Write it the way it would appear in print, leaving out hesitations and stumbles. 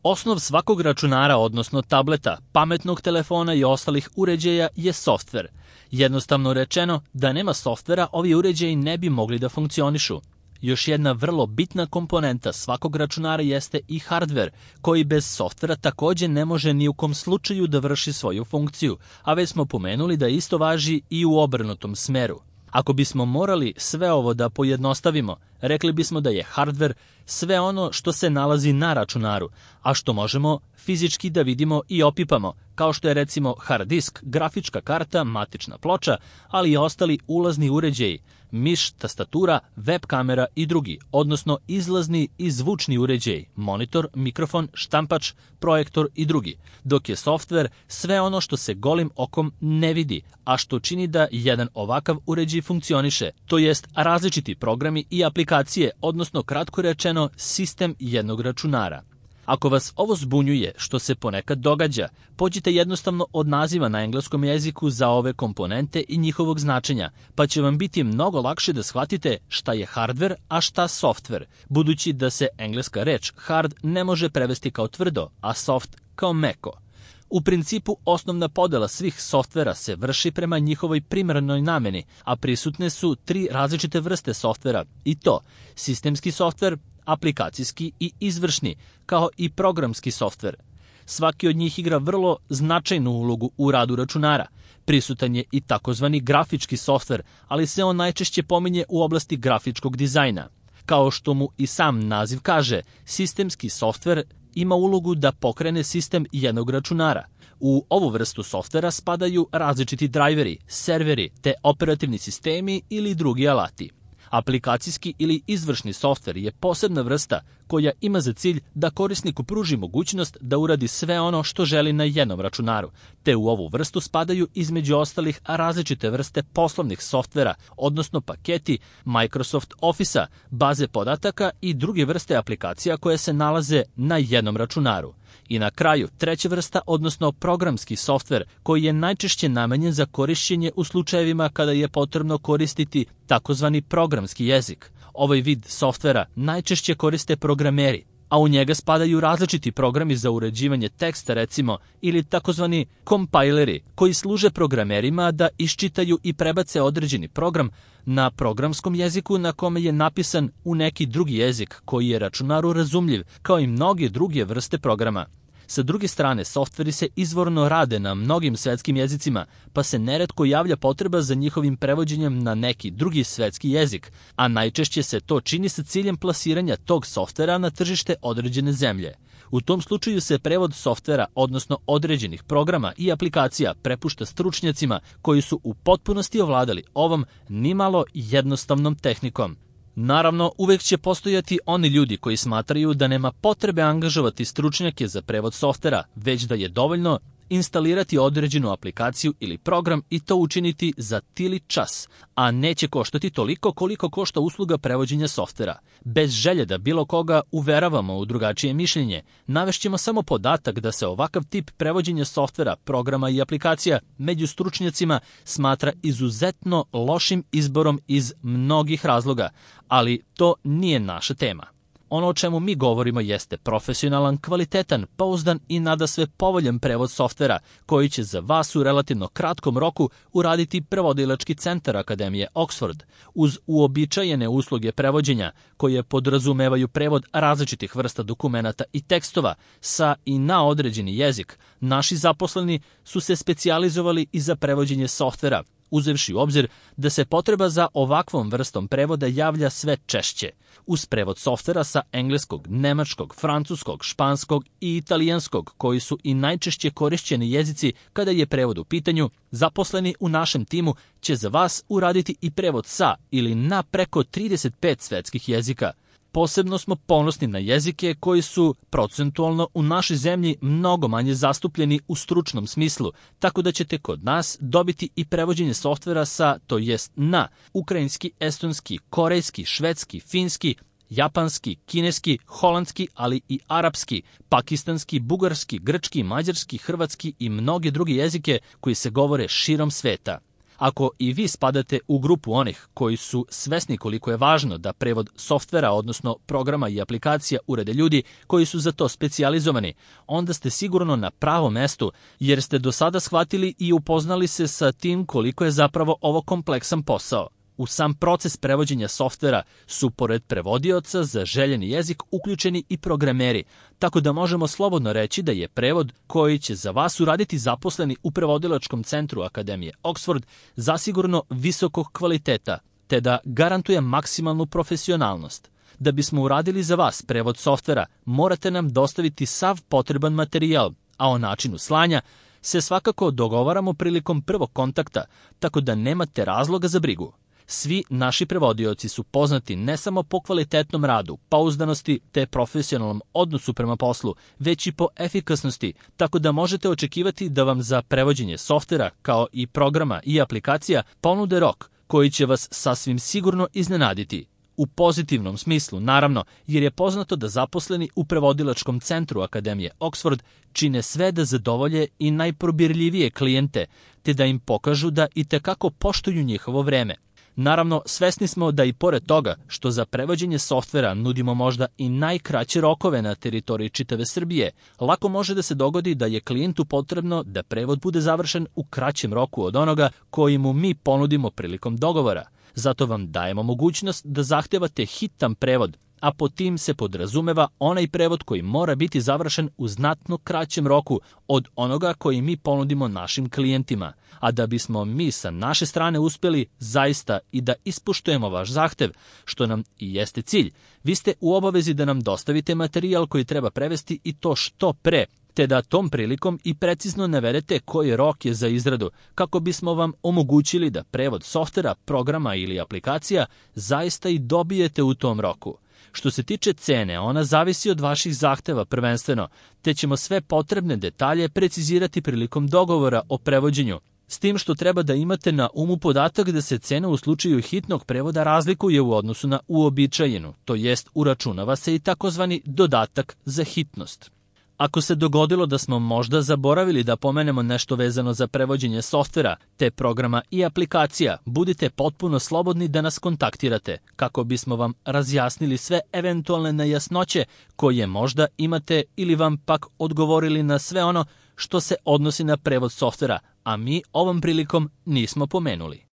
Osnov svakog računara, odnosno tableta, pametnog telefona i ostalih uređaja je softver. Jednostavno rečeno, da nema softvera, ovi uređaji ne bi mogli da funkcionišu. Još jedna vrlo bitna komponenta svakog računara jeste i hardver, koji bez softvera takođe ne može ni u kom slučaju da vrši svoju funkciju, a već smo pomenuli da isto važi i u obrnutom smeru. Ako bismo morali sve ovo da pojednostavimo, rekli bismo da je hardver sve ono što se nalazi na računaru, a što možemo fizički da vidimo i opipamo, kao što je recimo hard disk, grafička karta, matična ploča, ali i ostali ulazni uređaji, miš, tastatura, web kamera i drugi, odnosno izlazni i zvučni uređaji, monitor, mikrofon, štampač, projektor i drugi, dok je softver sve ono što se golim okom ne vidi, a što čini da jedan ovakav uređaj funkcioniše, to jest različiti programi i aplikacije, odnosno kratko rečeno sistem jednog računara. Ako vas ovo zbunjuje, što se ponekad događa, pođite jednostavno od naziva na engleskom jeziku za ove komponente i njihovog značenja, pa će vam biti mnogo lakše da shvatite šta je hardver, a šta softver, budući da se engleska reč hard ne može prevesti kao tvrdo, a soft kao meko. U principu, osnovna podela svih softvera se vrši prema njihovoj primarnoj nameni, a prisutne su 3 različite vrste softvera, i to sistemski softver, aplikacijski i izvršni, kao i programski softver. Svaki od njih igra vrlo značajnu ulogu u radu računara. Prisutan je i takozvani grafički softver, ali se on najčešće pominje u oblasti grafičkog dizajna. Kao što mu i sam naziv kaže, sistemski softver ima ulogu da pokrene sistem jednog računara. U ovu vrstu softvera spadaju različiti drajveri, serveri te operativni sistemi ili drugi alati. Aplikacijski ili izvršni softver je posebna vrsta koja ima za cilj da korisniku pruži mogućnost da uradi sve ono što želi na jednom računaru, te u ovu vrstu spadaju između ostalih različite vrste poslovnih softvera, odnosno paketi Microsoft Office-a, baze podataka i druge vrste aplikacija koje se nalaze na jednom računaru. I na kraju, treća vrsta, odnosno programski softver, koji je najčešće namenjen za korišćenje u slučajevima kada je potrebno koristiti takozvani programski jezik. Ovaj vid softvera najčešće koriste programeri, a u njega spadaju različiti programi za uređivanje teksta, recimo, ili takozvani kompajleri, koji služe programerima da iščitaju i prebace određeni program na programskom jeziku na kome je napisan u neki drugi jezik koji je računaru razumljiv, kao i mnoge druge vrste programa. Sa druge strane, softveri se izvorno rade na mnogim svetskim jezicima, pa se neretko javlja potreba za njihovim prevođenjem na neki drugi svetski jezik, a najčešće se to čini sa ciljem plasiranja tog softvera na tržište određene zemlje. U tom slučaju se prevod softvera, odnosno određenih programa i aplikacija, prepušta stručnjacima koji su u potpunosti ovladali ovom nimalo jednostavnom tehnikom. Naravno, uvek će postojati oni ljudi koji smatraju da nema potrebe angažovati stručnjake za prevod softvera, već da je dovoljno instalirati određenu aplikaciju ili program i to učiniti za tili čas, a neće koštati toliko koliko košta usluga prevođenja softvera. Bez želje da bilo koga uveravamo u drugačije mišljenje, navešćemo samo podatak da se ovakav tip prevođenja softvera, programa i aplikacija među stručnjacima smatra izuzetno lošim izborom iz mnogih razloga, ali to nije naša tema. Ono o čemu mi govorimo jeste profesionalan, kvalitetan, pouzdan i nadasve povoljan prevod softvera koji će za vas u relativno kratkom roku uraditi prevodilački centar Akademije Oxford. Uz uobičajene usluge prevođenja koje podrazumevaju prevod različitih vrsta dokumenata i tekstova sa i na određeni jezik, naši zaposleni su se specijalizovali i za prevođenje softvera, uzevši u obzir da se potreba za ovakvom vrstom prevoda javlja sve češće. Uz prevod softvera sa engleskog, nemačkog, francuskog, španskog i italijanskog, koji su i najčešće korišćeni jezici kada je prevod u pitanju, zaposleni u našem timu će za vas uraditi i prevod sa ili na preko 35 svetskih jezika. Posebno smo ponosni na jezike koji su procentualno u našoj zemlji mnogo manje zastupljeni u stručnom smislu, tako da ćete kod nas dobiti i prevođenje softvera sa, to jest na, ukrajinski, estonski, korejski, švedski, finski, japanski, kineski, holandski, ali i arapski, pakistanski, bugarski, grčki, mađarski, hrvatski i mnoge druge jezike koji se govore širom sveta. Ako i vi spadate u grupu onih koji su svesni koliko je važno da prevod softvera, odnosno programa i aplikacija urede ljudi koji su za to specijalizovani, onda ste sigurno na pravom mestu, jer ste do sada shvatili i upoznali se sa tim koliko je zapravo ovo kompleksan posao. U sam proces prevođenja softvera su, pored prevodioca za željeni jezik, uključeni i programeri, tako da možemo slobodno reći da je prevod koji će za vas uraditi zaposleni u prevodilačkom centru Akademije Oxford zasigurno visokog kvaliteta, te da garantuje maksimalnu profesionalnost. Da bismo uradili za vas prevod softvera, morate nam dostaviti sav potreban materijal, a o načinu slanja se svakako dogovaramo prilikom prvog kontakta, tako da nemate razloga za brigu. Svi naši prevodioci su poznati ne samo po kvalitetnom radu, pouzdanosti te profesionalnom odnosu prema poslu, već i po efikasnosti, tako da možete očekivati da vam za prevođenje softvera, kao i programa i aplikacija, ponude rok koji će vas sasvim sigurno iznenaditi. U pozitivnom smislu, naravno, jer je poznato da zaposleni u prevodilačkom centru Akademije Oxford čine sve da zadovolje i najprobirljivije klijente, te da im pokažu da itekako poštuju njihovo vreme. Naravno, svesni smo da i pored toga što za prevođenje softvera nudimo možda i najkraće rokove na teritoriji čitave Srbije, lako može da se dogodi da je klijentu potrebno da prevod bude završen u kraćem roku od onoga koji mu mi ponudimo prilikom dogovora. Zato vam dajemo mogućnost da zahtevate hitan prevod, a pod tim se podrazumeva onaj prevod koji mora biti završen u znatno kraćem roku od onoga koji mi ponudimo našim klijentima. A da bismo mi sa naše strane uspjeli zaista i da ispoštujemo vaš zahtev, što nam i jeste cilj, vi ste u obavezi da nam dostavite materijal koji treba prevesti i to što pre, te da tom prilikom i precizno navedete koji rok je za izradu, kako bismo vam omogućili da prevod softvera, programa ili aplikacija zaista i dobijete u tom roku. Što se tiče cene, ona zavisi od vaših zahteva prvenstveno, te ćemo sve potrebne detalje precizirati prilikom dogovora o prevođenju, s tim što treba da imate na umu podatak da se cena u slučaju hitnog prevoda razlikuje u odnosu na uobičajenu, to jest uračunava se i takozvani dodatak za hitnost. Ako se dogodilo da smo možda zaboravili da pomenemo nešto vezano za prevođenje softvera, te programa i aplikacija, budite potpuno slobodni da nas kontaktirate, kako bismo vam razjasnili sve eventualne nejasnoće koje možda imate ili vam pak odgovorili na sve ono što se odnosi na prevod softvera, a mi ovom prilikom nismo pomenuli.